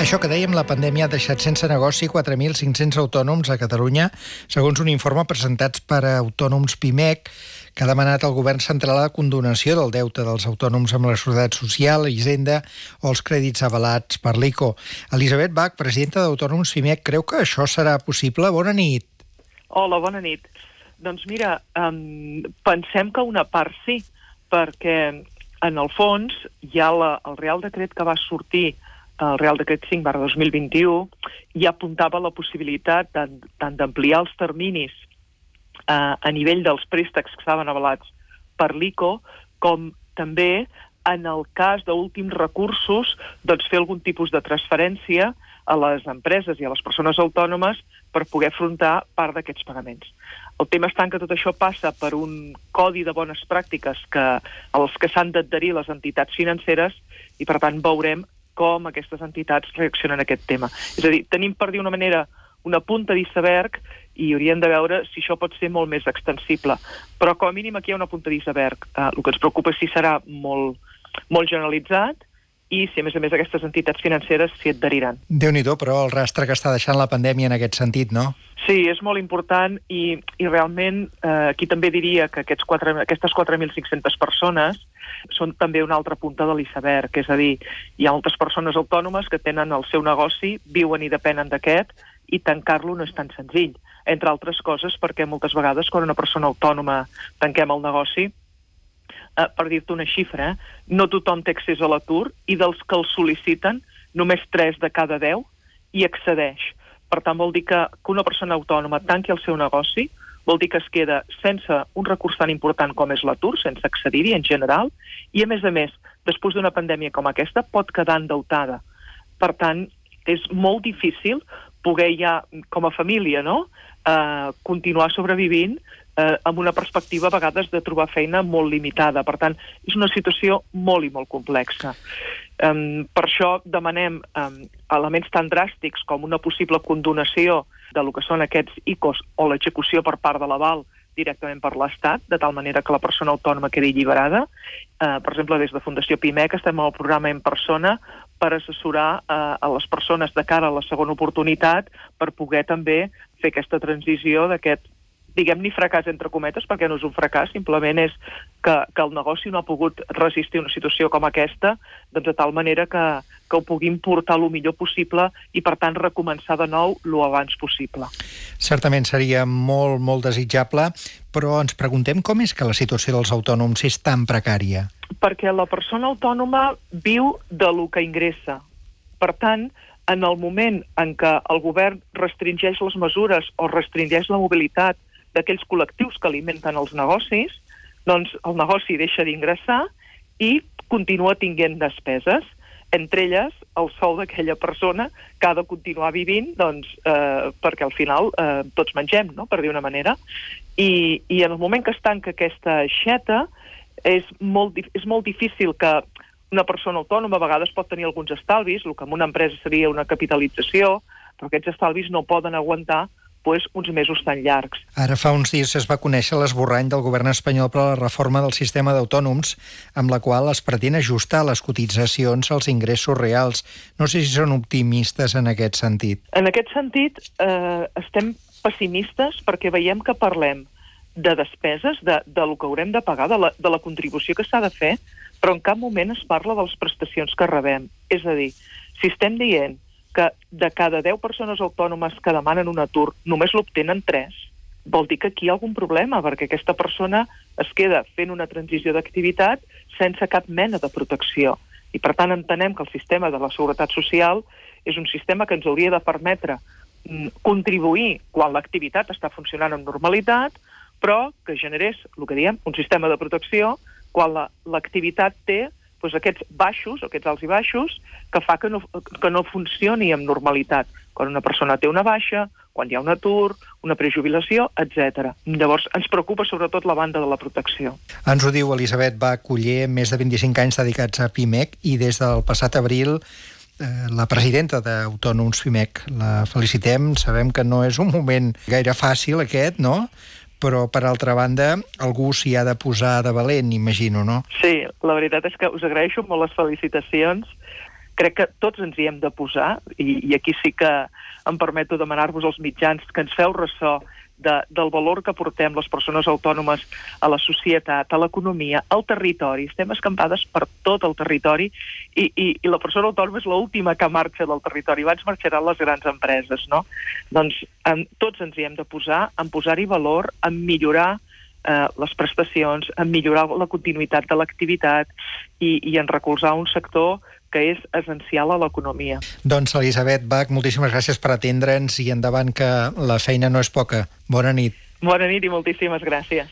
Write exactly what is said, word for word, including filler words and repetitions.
Això que dèiem, la pandèmia ha deixat sense negoci quatre mil cinc-cents autònoms a Catalunya, segons un informe presentat per Autònoms Pimec, que ha demanat al govern central la condonació del deute dels autònoms amb la Seguretat Social, Hisenda o els crèdits avalats per l'I C O. Elisabet Bach, presidenta d'Autònoms Pimec, creu que això serà possible? Bona nit. Hola, bona nit. Doncs mira, um, pensem que una part sí, perquè en el fons hi ha la, el Real Decret que va sortir, el Real Decret cinc barra dos mil vint-i-u, ja apuntava la possibilitat tant, tant d'ampliar els terminis eh, a nivell dels préstecs que estaven avalats per l'I C O, com també en el cas d'últims recursos, doncs fer algun tipus de transferència a les empreses i a les persones autònomes per poder afrontar part d'aquests pagaments. El tema està en que tot això passa per un codi de bones pràctiques que, als que s'han d'adherir les entitats financeres i, per tant, veurem com aquestes entitats reaccionen a aquest tema. És a dir, tenim per dir una manera una punta d'iceberg i hauríem de veure si això pot ser molt més extensible. Però com a mínim aquí hi ha una punta d'iceberg. Eh, el que ens preocupa és si serà molt, molt generalitzat i si, a més a més, aquestes entitats financeres s'hi adheriran. Déu-n'hi-do, però el rastre que està deixant la pandèmia en aquest sentit, no? Sí, és molt important i, i realment eh, aquí també diria que aquests quatre, aquestes quatre mil cinc-centes persones són també una altra punta de l'iceberg, és a dir, hi ha moltes persones autònomes que tenen el seu negoci, viuen i depenen d'aquest, i tancar-lo no és tan senzill, entre altres coses perquè moltes vegades quan una persona autònoma tanquem el negoci, eh, per dir-te una xifra, eh, no tothom té accés a l'atur i dels que el sol·liciten només tres de cada deu hi accedeix. Per tant, vol dir que, que una persona autònoma tanqui el seu negoci, vol dir que es queda sense un recurs tan important com és l'atur, sense accedir-hi en general, i a més a més, després d'una pandèmia com aquesta, pot quedar endeutada. Per tant, és molt difícil poder ja, com a família, no?, eh, continuar sobrevivint eh, amb una perspectiva a vegades de trobar feina molt limitada. Per tant, és una situació molt i molt complexa. Um, per això demanem um, elements tan dràstics com una possible condonació de lo que són aquests I C Os o l'execució per part de l'aval directament per l'Estat, de tal manera que la persona autònoma quedi alliberada. Uh, per exemple, des de Fundació Pimec estem al programa En Persona per assessorar uh, a les persones de cara a la segona oportunitat per poder també fer aquesta transició d'aquest, diguem-ne fracàs entre cometes, perquè no és un fracàs, simplement és que, que el negoci no ha pogut resistir una situació com aquesta, doncs de tal manera que, que ho puguin portar el millor possible i, per tant, recomençar de nou el abans possible. Certament seria molt, molt desitjable, però ens preguntem com és que la situació dels autònoms és tan precària? Perquè la persona autònoma viu de lo que ingressa. Per tant, en el moment en què el govern restringeix les mesures o restringeix la mobilitat d'aquells col·lectius que alimenten els negocis, doncs el negoci deixa d'ingressar i continua tinguent despeses, entre elles el sou d'aquella persona que ha de continuar vivint, doncs, eh, perquè al final eh, tots mengem, no?, per dir una manera. I, i en el moment que es tanca aquesta aixeta, és molt, és molt difícil que una persona autònoma a vegades pot tenir alguns estalvis, el que en una empresa seria una capitalització, però aquests estalvis no poden aguantar pues, uns mesos tan llargs. Ara fa uns dies es va conèixer l'esborrany del govern espanyol per a la reforma del sistema d'autònoms, amb la qual es pretén ajustar les cotitzacions als ingressos reals. No sé si són optimistes en aquest sentit. En aquest sentit, eh, estem pessimistes perquè veiem que parlem de despeses, de, de lo que haurem de pagar, de la, de la contribució que s'ha de fer, però en cap moment es parla de les prestacions que rebem. És a dir, si estem dient que de cada deu persones autònomes que demanen un atur només l'obtenen tres, vol dir que aquí hi ha algun problema, perquè aquesta persona es queda fent una transició d'activitat sense cap mena de protecció. I per tant entenem que el sistema de la Seguretat Social és un sistema que ens hauria de permetre contribuir quan l'activitat està funcionant amb normalitat, però que generés, el que diem, un sistema de protecció quan l'activitat té doncs, aquests baixos, aquests alts i baixos, que fa que no, que no funcioni amb normalitat. Quan una persona té una baixa, quan hi ha un atur, una prejubilació, etcètera. Llavors, ens preocupa sobretot la banda de la protecció. Ens ho diu Elisabet Bach Culler, més de vint-i-cinc anys dedicats a Pimec, i des del passat abril eh, la presidenta d'Autònoms Pimec. La felicitem, sabem que no és un moment gaire fàcil aquest, no?, però, per altra banda, algú s'hi ha de posar de valent, imagino, no? Sí, la veritat és que us agraeixo molt les felicitacions crec que tots ens hi hem de posar, i, i aquí sí que em permeto demanar-vos als mitjans que ens feu ressò de, del valor que portem les persones autònomes a la societat, a l'economia, al territori. Estem escampades per tot el territori i, i, i la persona autònoma és l'última que marxa del territori. Abans marxaran les grans empreses, no? Doncs en, tots ens hi hem de posar, en posar-hi valor, en millorar eh, les prestacions, en millorar la continuïtat de l'activitat i, i en recolzar un sector que és essencial a l'economia. Doncs, Elisabet Bach, moltíssimes gràcies per atendre'ns i endavant, que la feina no és poca. Bona nit. Bona nit i moltíssimes gràcies.